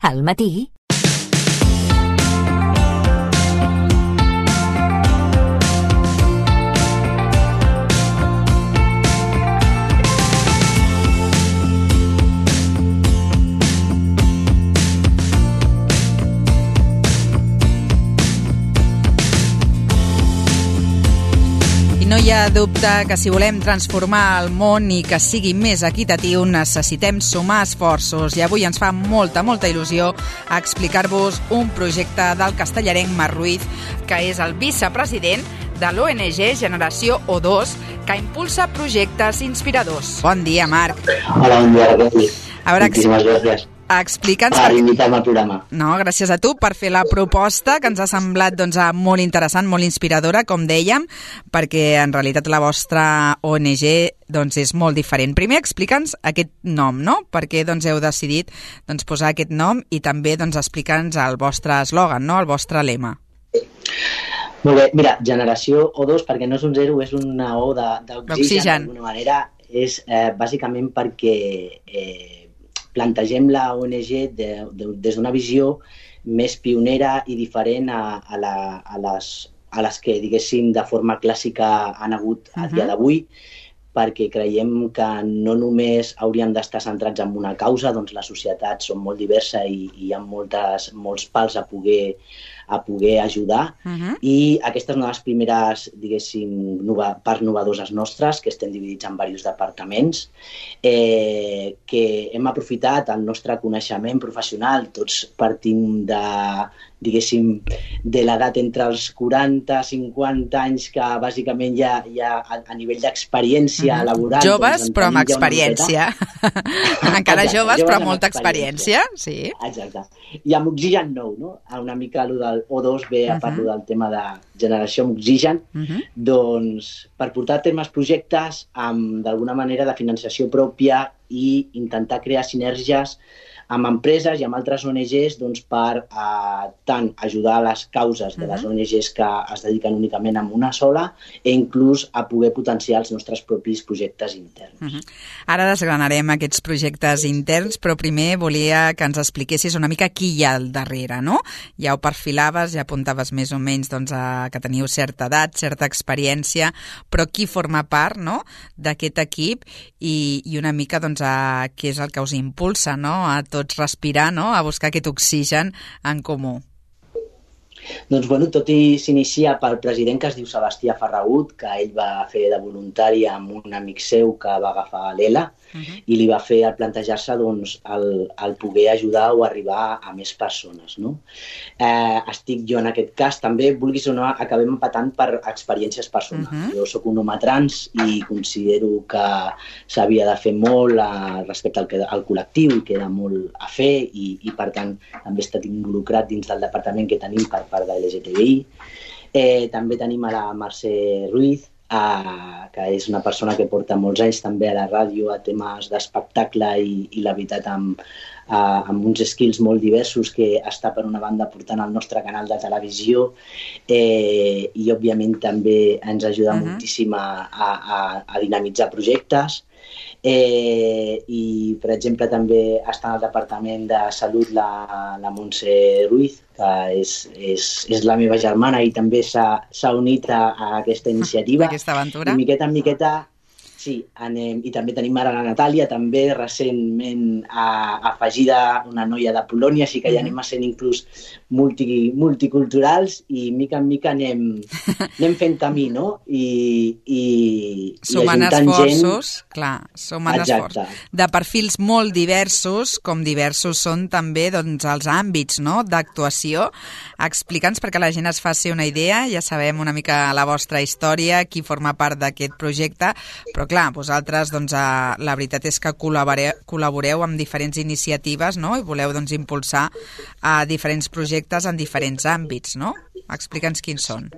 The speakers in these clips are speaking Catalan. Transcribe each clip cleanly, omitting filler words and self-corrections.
Al matí. No hi ha dubte que si volem transformar el món i que sigui més equitatiu necessitem sumar esforços i avui ens fa molta il·lusió explicar-vos un projecte del castellarenc Marc Ruiz, que és el vicepresident de l'ONG Generació O2, que impulsa projectes inspiradors. Bon dia, Marc. Hola, bon dia, Raquel. Moltíssimes gràcies. Explica'ns... Per invitar-me al programa. No, gràcies a tu per fer la proposta, que ens ha semblat molt interessant, molt inspiradora, com dèiem, perquè en realitat la vostra ONG és molt diferent. Primer, explica'ns aquest nom, no? Per què heu decidit posar aquest nom i també explica'ns el vostre eslògan, no? El vostre lema. Molt bé, mira, Generació O2, perquè no és un zero, és una O d'oxigen, d'alguna manera, és bàsicament perquè plantegem la ONG des d'una visió més pionera i diferent a les que, diguéssim, de forma clàssica han hagut a dia d'avui, perquè creiem que no només hauríem d'estar centrats en una causa, doncs la societat són molt diversa i hi ha molts pals a poder ajudar, i aquesta és una de les primeres, diguéssim, parts novadores nostres, que estem dividits en diversos departaments, que hem aprofitat el nostre coneixement professional, tots partim diguéssim, de l'edat entre els 40 i 50 anys, que bàsicament ja a nivell d'experiència laboral... Joves, però amb experiència. Encara joves, però amb molta experiència. Sí. Exacte. I amb oxigen nou, no? Una mica allò del O2 ve a part del tema de generació amb oxigen, doncs per portar a terme els projectes amb, d'alguna manera, de financiació pròpia i intentar crear sinergies amb empreses i amb altres ONGs per tant ajudar a les causes de les ONGs que es dediquen únicament a una sola i inclús a poder potenciar els nostres propis projectes interns. Ara desgranarem aquests projectes interns, però primer volia que ens expliquessis una mica qui hi ha al darrere, no? Ja ho perfilaves, ja apuntaves més o menys que teniu certa edat, certa experiència, però qui forma part, no?, d'aquest equip i una mica què és el que us impulsa, no?, a tots respirar, no?, a buscar aquest oxigen en comú. Doncs, tot i s'inicia pel president, que es diu Sebastià Ferragut, que ell va fer de voluntari amb un amic seu que va agafar l'ELA i li va fer plantejar-se el poder ajudar o arribar a més persones, no? Estic jo en aquest cas, també, vulguis o no, acabem empatant per experiències personals. Jo soc un home trans i considero que s'havia de fer molt respecte al col·lectiu i queda molt a fer i per tant, també he estat involucrat dins del departament que tenim per part de LGTBI. També tenim a la Mercè Ruiz, que és una persona que porta molts anys també a la ràdio a temes d'espectacle i la veritat amb uns skills molt diversos, que està per una banda portant el nostre canal de televisió i òbviament també ens ajuda moltíssim a dinamitzar projectes. I, per exemple, també està al Departament de Salut la Montse Ruiz, que és la meva germana i també s'ha unit a aquesta iniciativa. Aquesta aventura. I miqueta en miqueta, sí, anem. I també tenim ara la Natàlia, també recentment afegida, una noia de Polònia, així que ja anem a ser inclús multiculturals i mica en mica anem fent camí, no? I sumant esforços, clar, sumant esforços. De perfils molt diversos, com diversos són també els àmbits, no?, d'actuació. Explica'ns, perquè la gent es faci una idea, ja sabem una mica la vostra història, qui forma part d'aquest projecte, però clar, vosaltres, la veritat és que col·laboreu amb diferents iniciatives, no?, i voleu impulsar diferents projectes en diferents àmbits, no? Explica'ns quins són.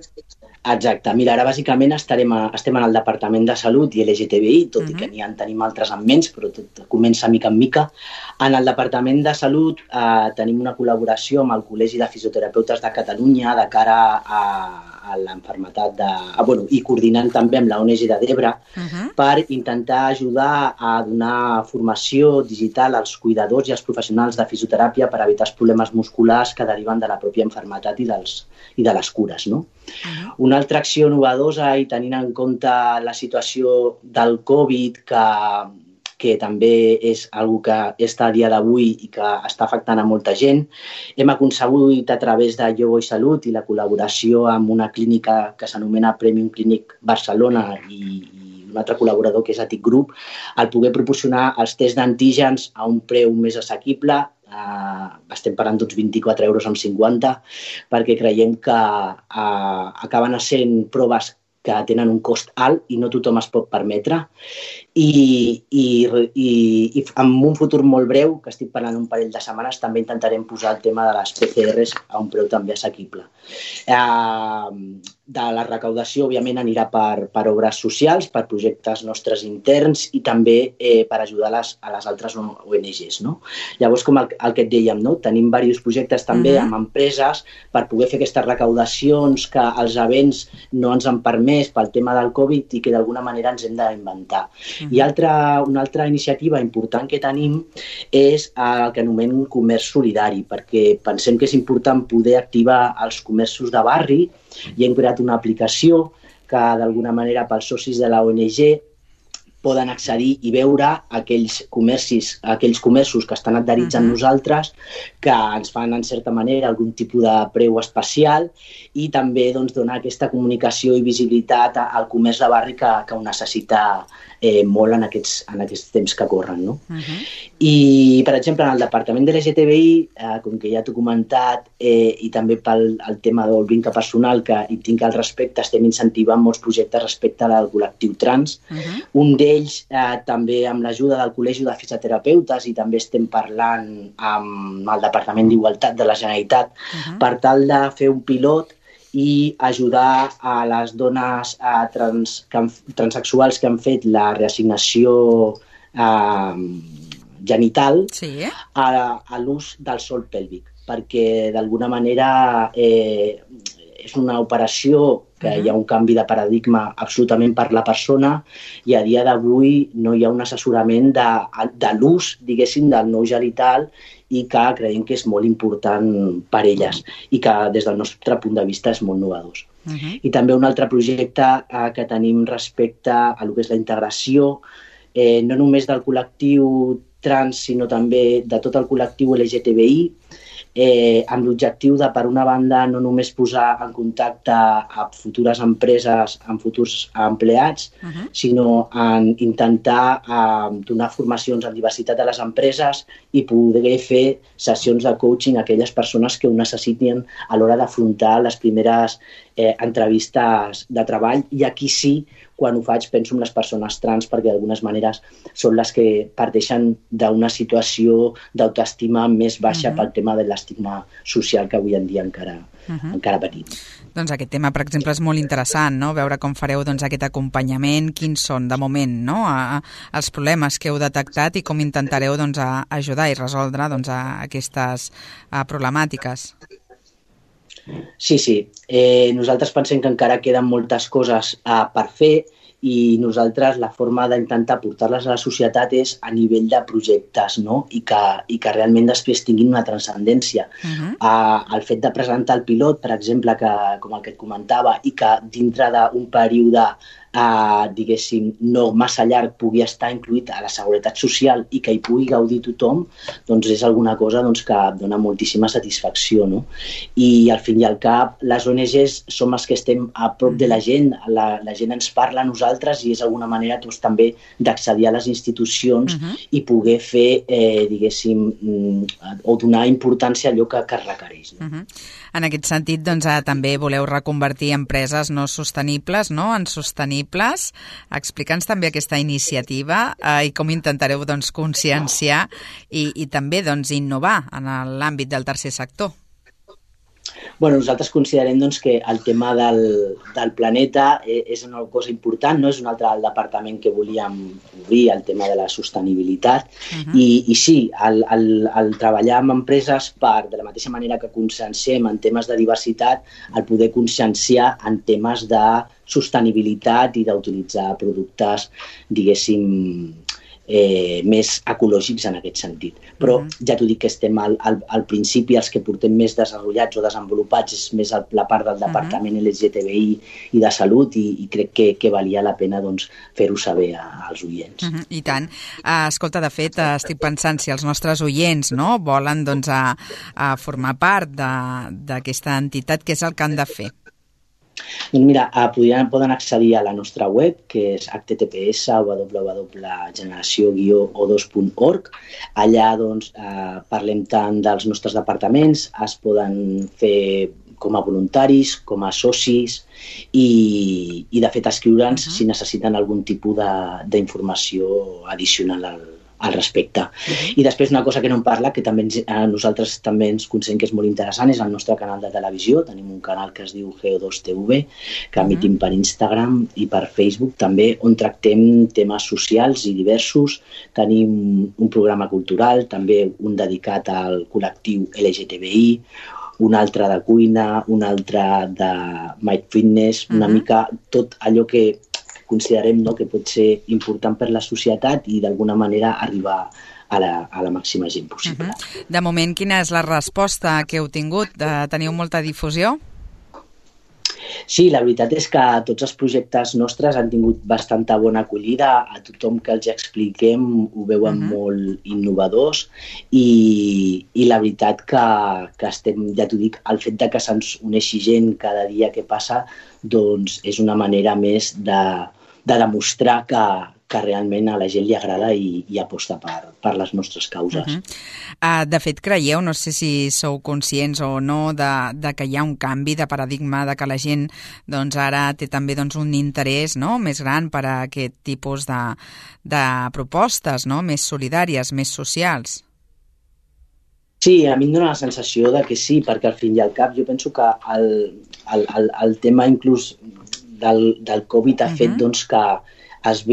Exacte. Mira, ara bàsicament estem en el Departament de Salut i LGTBI, tot i que tenim altres en menys, però tot comença mica en mica. En el Departament de Salut tenim una col·laboració amb el Col·legi de Fisioterapeutes de Catalunya de cara a l'enfermetat i coordinant també amb la ONG de Debra per intentar ajudar a donar formació digital als cuidadors i als professionals de fisioteràpia per evitar els problemes musculars que deriven de la pròpia enfermetat i de les cures, no? Una altra acció novedosa i tenint en compte la situació del Covid, que també és una que està a dia d'avui i que està afectant a molta gent, hem aconseguit a través de Jo Vull Salut i la col·laboració amb una clínica que s'anomena Premium Clinic Barcelona i un altre col·laborador que és Atic Group, el poder proporcionar els tests d'antígens a un preu més assequible. Estem parlant d'uns 24,50 €, perquè creiem que acaben sent proves que tenen un cost alt i no tothom es pot permetre. I en un futur molt breu, que estic parlant un parell de setmanes, també intentarem posar el tema de les PCRs a un preu també assequible. De la recaudació, òbviament, anirà per obres socials, per projectes nostres interns i també per ajudar a les altres ONGs, no? Llavors, com el que et dèiem, no? Tenim diversos projectes també amb empreses per poder fer aquestes recaudacions que els events no ens han permès pel tema del Covid i que d'alguna manera ens hem d'inventar. I una altra iniciativa important que tenim és el que anomenem comerç solidari, perquè pensem que és important poder activar els comerços de barri i hem creat una aplicació que d'alguna manera pels socis de la ONG poden accedir i veure aquells comerços que estan adherits amb nosaltres, que ens fan en certa manera algun tipus de preu especial i també donar aquesta comunicació i visibilitat al comerç de barri que ho necessita molt en aquests temps que corren, no? I, per exemple, en el departament de l'LGTBI, com que ja t'ho he comentat, i també pel tema del vincle personal que hi tinc al respecte, estem incentivant molts projectes respecte al col·lectiu trans. Un d'ells també amb l'ajuda del Col·legi de Fisioterapeutes i també estem parlant amb el Departament d'Igualtat de la Generalitat per tal de fer un pilot i ajudar a les dones transsexuals que han fet la reassignació genital a l'ús del sòl pèlvic, perquè d'alguna manera és una operació que hi ha un canvi de paradigma absolutament per la persona i a dia d'avui no hi ha un assessorament de l'ús, diguéssim, del nou genital i que creiem que és molt important per elles i que des del nostre punt de vista és molt novedós. I també un altre projecte que tenim respecte a el que és la integració, no només del col·lectiu trans, sinó també de tot el col·lectiu LGTBI, amb l'objectiu de, per una banda, no només posar en contacte a futures empreses, amb futurs empleats, sinó en intentar donar formacions en diversitat a les empreses i poder fer sessions de coaching a aquelles persones que ho necessitin a l'hora d'afrontar les primeres entrevistes de treball. I aquí sí, quan ho faig, penso en les persones trans perquè d'algunes maneres són les que parteixen d'una situació d'autoestima més baixa pel tema de l'estigma social que avui en dia encara patim. Doncs aquest tema, per exemple, és molt interessant, no? Veure com fareu aquest acompanyament, quins són, de moment, no? Els problemes que heu detectat i com intentareu ajudar i resoldre aquestes problemàtiques. Sí. Nosaltres pensem que encara queden moltes coses per fer i nosaltres la forma d'intentar portar-les a la societat és a nivell de projectes, no? I que realment després tinguin una transcendència. El fet de presentar el pilot, per exemple, com el que et comentava, i que dintre d'un període diguéssim, no massa llarg pugui estar incluït a la seguretat social i que hi pugui gaudir tothom, doncs és alguna cosa que dona moltíssima satisfacció, no? I al fin i al cap, les ONGs som els que estem a prop de la gent, la gent ens parla a nosaltres i és alguna manera també d'accedir a les institucions i poder fer, diguéssim, o donar importància a allò que es requereix. En aquest sentit, també voleu reconvertir empreses no sostenibles, no?, en sostenibles. Explica'ns també aquesta iniciativa i com intentareu conscienciar i també innovar en l'àmbit del tercer sector. Bueno, nosaltres considerem doncs, que el tema del planeta és una cosa important, no és un altre departament que volíem obrir, el tema de la sostenibilitat, i sí, el treballar amb empreses de la mateixa manera que conscienciem en temes de diversitat, el poder conscienciar en temes de sostenibilitat i d'utilitzar productes, diguéssim, més ecològics en aquest sentit. Però ja t'ho dic que estem al principi, els que portem més desenvolupats o desenvolupats és més la part del departament LGTBI i de salut, i crec que valia la pena doncs, fer-ho saber als oients. I tant. Escolta, de fet, estic pensant si els nostres oients volen doncs, a formar part d'aquesta entitat, què és el que han de fer? Doncs mira, poden accedir a la nostra web, que és https://generació-o2.org. Allà doncs, parlem tant dels nostres departaments, es poden fer com a voluntaris, com a socis i de fet escriure'ns si necessiten algun tipus d'informació addicional al respecte. I després una cosa que no em parla, que també nosaltres també ens considerem que és molt interessant, és el nostre canal de televisió. Tenim un canal que es diu GO2TV, que emitim per Instagram i per Facebook també, on tractem temes socials i diversos. Tenim un programa cultural, també un dedicat al col·lectiu LGTBI, un altre de cuina, un altre de Mind Fitness, una mica tot allò que considerem que pot ser important per la societat i d'alguna manera arribar a la màxima gent possible. De moment, quina és la resposta que heu tingut? Teniu molta difusió? Sí, la veritat és que tots els projectes nostres han tingut bastanta bona acollida. A tothom que els expliquem ho veuen molt innovadors i la veritat que estem, ja t'ho dic, el fet de que se'ns uneixi gent cada dia que passa doncs és una manera més de demostrar que realment a la gent li agrada i aposta per les nostres causes. De fet, creieu, no sé si sou conscients o no, de que hi ha un canvi de paradigma, de que la gent doncs, ara té també un interès més gran per a aquest tipus de propostes més solidàries, més socials? Sí, a mi em dóna la sensació de que sí, perquè al fin i al cap jo penso que el tema inclús del Covid ha fet doncs, que es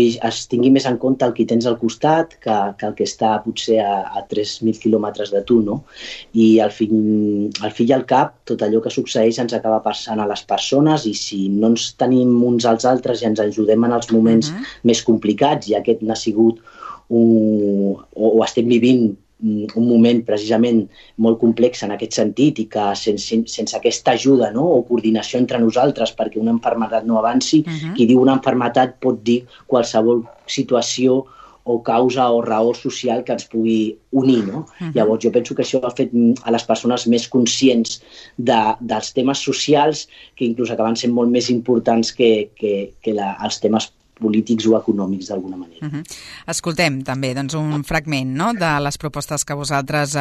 tingui més en compte el que tens al costat que el que està potser a 3.000 quilòmetres de tu, no? I al fi i al cap, tot allò que succeeix ens acaba passant a les persones i si no ens tenim uns als altres i ens ajudem en els moments més complicats, i aquest n'ha sigut o estem vivint un moment precisament molt complex en aquest sentit i que sense aquesta ajuda o coordinació entre nosaltres perquè una malaltia no avanci, qui diu una malaltia pot dir qualsevol situació o causa o raó social que ens pugui unir, no? Llavors jo penso que això ha fet a les persones més conscients dels temes socials que inclús acaben sent molt més importants que els temes polítics o econòmics d'alguna manera. Escoltem també un fragment de les propostes que vosaltres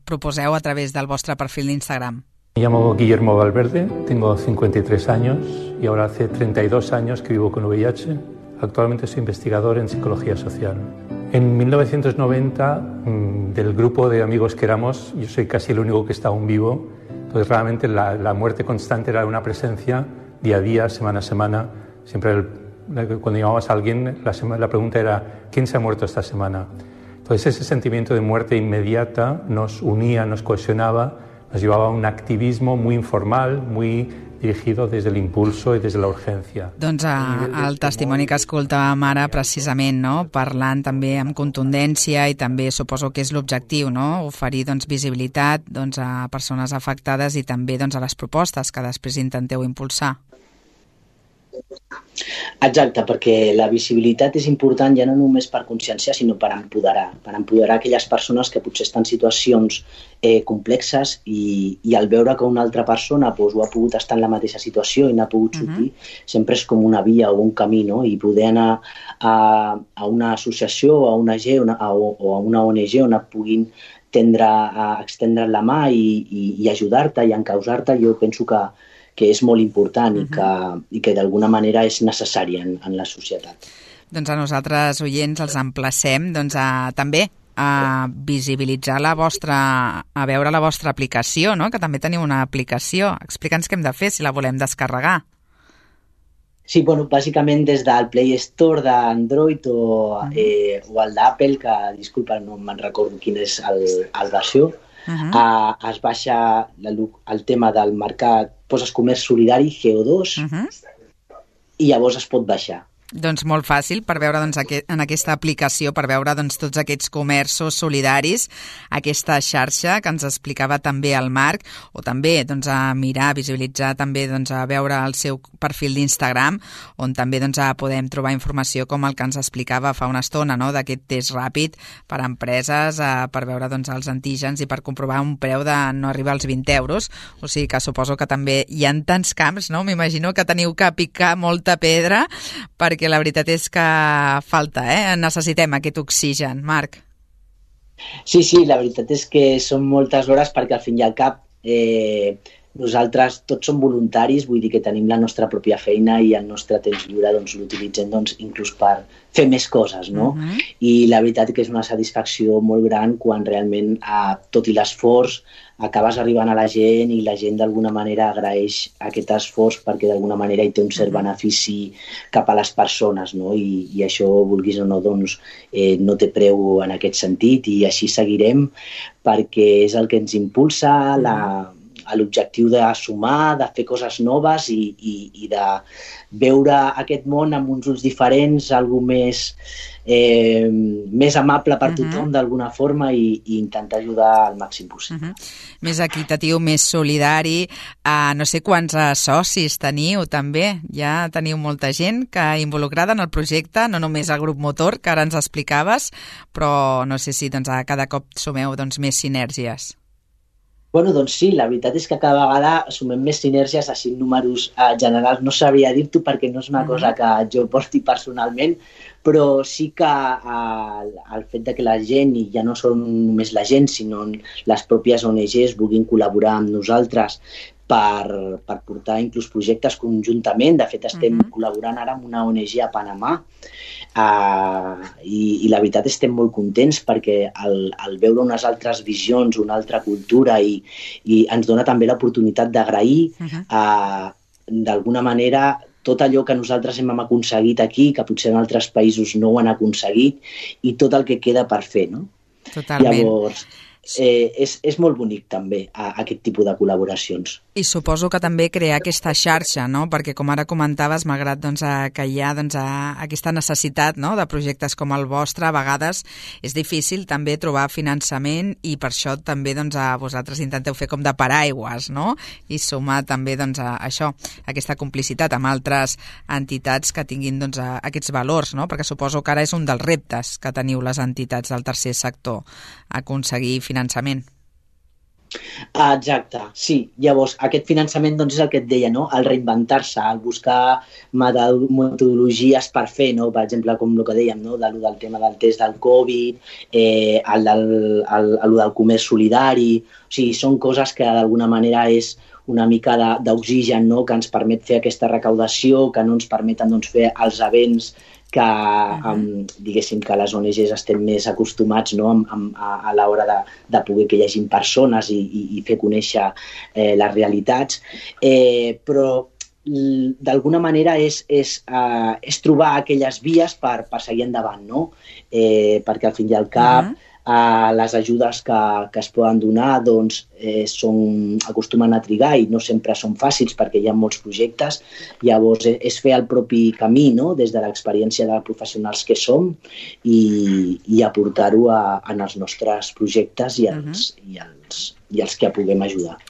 proposeu a través del vostre perfil d'Instagram. Me llamo Guillermo Valverde, tengo 53 años y ahora hace 32 años que vivo con VIH. Actualmente soy investigador en psicología social. En 1990, del grupo de amigos que éramos, yo soy casi el único que está aún vivo. Entonces realmente la muerte constante era una presencia día a día, semana a semana. Siempre cuando llamabas a alguien, la pregunta era ¿quién se ha muerto esta semana? Entonces ese sentimiento de muerte inmediata nos unía, nos cohesionaba, nos llevaba a un activismo muy informal, muy dirigido des de l'impulso i des de la urgència. Doncs el testimoni que escoltàvem ara precisament, parlant també amb contundència i també suposo que és l'objectiu, oferir visibilitat a persones afectades i també a les propostes que després intenteu impulsar. Exacte, perquè la visibilitat és important ja no només per conscienciar, sinó per empoderar aquelles persones que potser estan en situacions complexes i al veure que una altra persona ho ha pogut estar en la mateixa situació i n'ha pogut sortir, sempre és com una via o un camí, i poder anar a una associació o a una ONG on et puguin extendre la mà i ajudar-te i encausar-te, jo penso que és molt important i que d'alguna manera és necessària en la societat. Doncs a nosaltres, oients, els emplacem també a visibilitzar a veure la vostra aplicació, no? Que també teniu una aplicació. Explica'ns què hem de fer si la volem descarregar. Sí, bueno, bàsicament des del Play Store d'Android o el d'Apple, que, disculpa, no me'n recordo quin és el versió, es baixa el tema del mercat, poses comerç solidari, CO2, i llavors es pot baixar. Doncs molt fàcil per veure en aquesta aplicació, per veure tots aquests comerços solidaris, aquesta xarxa que ens explicava també el Marc, o també a mirar, a visualitzar, també a veure el seu perfil d'Instagram, on també podem trobar informació com el que ens explicava fa una estona, no? D'aquest test ràpid per a empreses, per veure els antígens i per comprovar un preu de no arribar als 20 euros. O sigui que suposo que també hi ha tants camps, no? M'imagino que teniu que picar molta pedra perquè la veritat és que falta, necessitem aquest oxigen. Marc. Sí, la veritat és que són moltes hores perquè al fin i al cap nosaltres tots som voluntaris, vull dir que tenim la nostra pròpia feina i el nostre temps lliure l'utilitzem inclús per fer més coses, no? I la veritat que és una satisfacció molt gran quan realment, tot i l'esforç, acabes arribant a la gent i la gent d'alguna manera agraeix aquest esforç perquè d'alguna manera hi té un cert benefici cap a les persones, no? I això, vulguis o no, no té preu en aquest sentit i així seguirem perquè és el que ens impulsa l'objectiu de sumar, de fer coses noves i de veure aquest món amb uns ulls diferents, algo més amable per tothom d'alguna forma i intentar ajudar al màxim possible. Més equitatiu, més solidari. No sé quants socis teniu també. Ja teniu molta gent que involucrada en el projecte, no només el grup motor, que ara ens explicaves, però no sé si cada cop sumeu més sinergies. Bueno, doncs sí, la veritat és que cada vegada sumem més sinergies, així en números generals no sabria dir-t'ho perquè no és una cosa que jo porti personalment, però sí que el fet que la gent, i ja no són només la gent, sinó les pròpies ONGs vulguin col·laborar amb nosaltres per portar inclús projectes conjuntament. De fet, estem col·laborant ara amb una ONG a Panamà i la veritat estem molt contents perquè al veure unes altres visions, una altra cultura i ens dona també l'oportunitat d'agrair d'alguna manera tot allò que nosaltres hem aconseguit aquí, que potser en altres països no ho han aconseguit, i tot el que queda per fer, no? Totalment. Llavors, és molt bonic també aquest tipus de col·laboracions. I suposo que també crear aquesta xarxa, no? Perquè com ara comentaves, malgrat que hi ha aquesta necessitat, no? De projectes com el vostre, a vegades és difícil també trobar finançament i per això també vosaltres intenteu fer com de paraigües, no? I sumar també això, aquesta complicitat amb altres entitats que tinguin aquests valors, no? Perquè suposo que ara és un dels reptes que teniu les entitats del tercer sector, aconseguir finançament. Exacte, sí. Llavors, aquest finançament és el que et deia, no? El reinventar-se, el buscar metodologies per fer, no? Per exemple, com el que dèiem, no? Del tema del test del Covid, el del comerç solidari. O sigui, són coses que d'alguna manera és una mica d'oxigen, no? Que ens permet fer aquesta recaudació, que no ens permeten fer els events que, diguéssim, que les ONGs estem més acostumats, no? A l'hora de poder que hi hagi persones i fer conèixer les realitats. Però d'alguna manera és trobar aquelles vies per seguir endavant, no? Perquè al fin i al cap les ajudes que es poden donar acostumen a trigar i no sempre són fàcils perquè hi ha molts projectes. Llavors és fer el propi camí, no? Des de l'experiència de professionals que som i aportar-ho en els nostres projectes i els que puguem ajudar.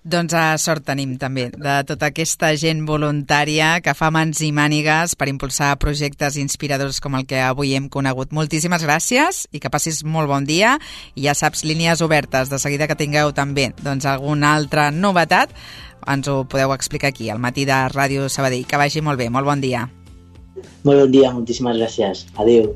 Doncs sort tenim també de tota aquesta gent voluntària que fa mans i mànigues per impulsar projectes inspiradors com el que avui hem conegut. Moltíssimes gràcies i que passis molt bon dia. I ja saps, línies obertes, de seguida que tingueu també alguna altra novetat, ens ho podeu explicar aquí, al matí de Ràdio Sabadell. Que vagi molt bé, molt bon dia. Molt bon dia, moltíssimes gràcies. Adéu.